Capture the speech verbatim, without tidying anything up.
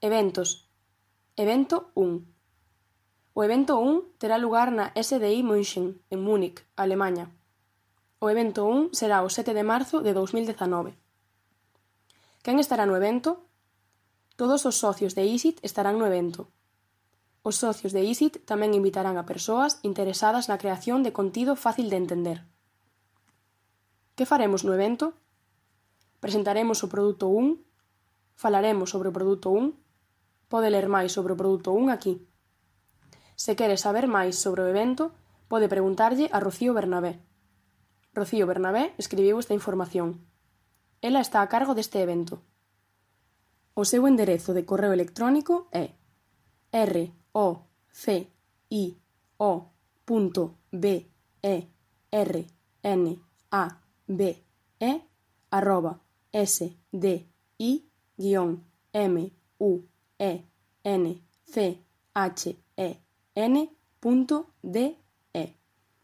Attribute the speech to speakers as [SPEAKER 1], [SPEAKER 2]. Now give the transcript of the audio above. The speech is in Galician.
[SPEAKER 1] Eventos. Evento un. O evento un terá lugar na S D I München, en Múnich, Alemaña. O evento un será o sete de marzo de dous mil dezanove. Quen estará no evento? Todos os socios de I S I T estarán no evento. Os socios de I S I T tamén invitarán a persoas interesadas na creación de contido fácil de entender. Que faremos no evento? Presentaremos o produto un, falaremos sobre o produto un, pode ler máis sobre o produto un aquí. Se quere saber máis sobre o evento, pode preguntarlle a Rocío Bernabé. Rocío Bernabé escribiu esta información. Ela está a cargo deste evento. O seu enderezo de correo electrónico é r o c i o punto b e r n a b e arroba s d i guion m u e n c h e n punto d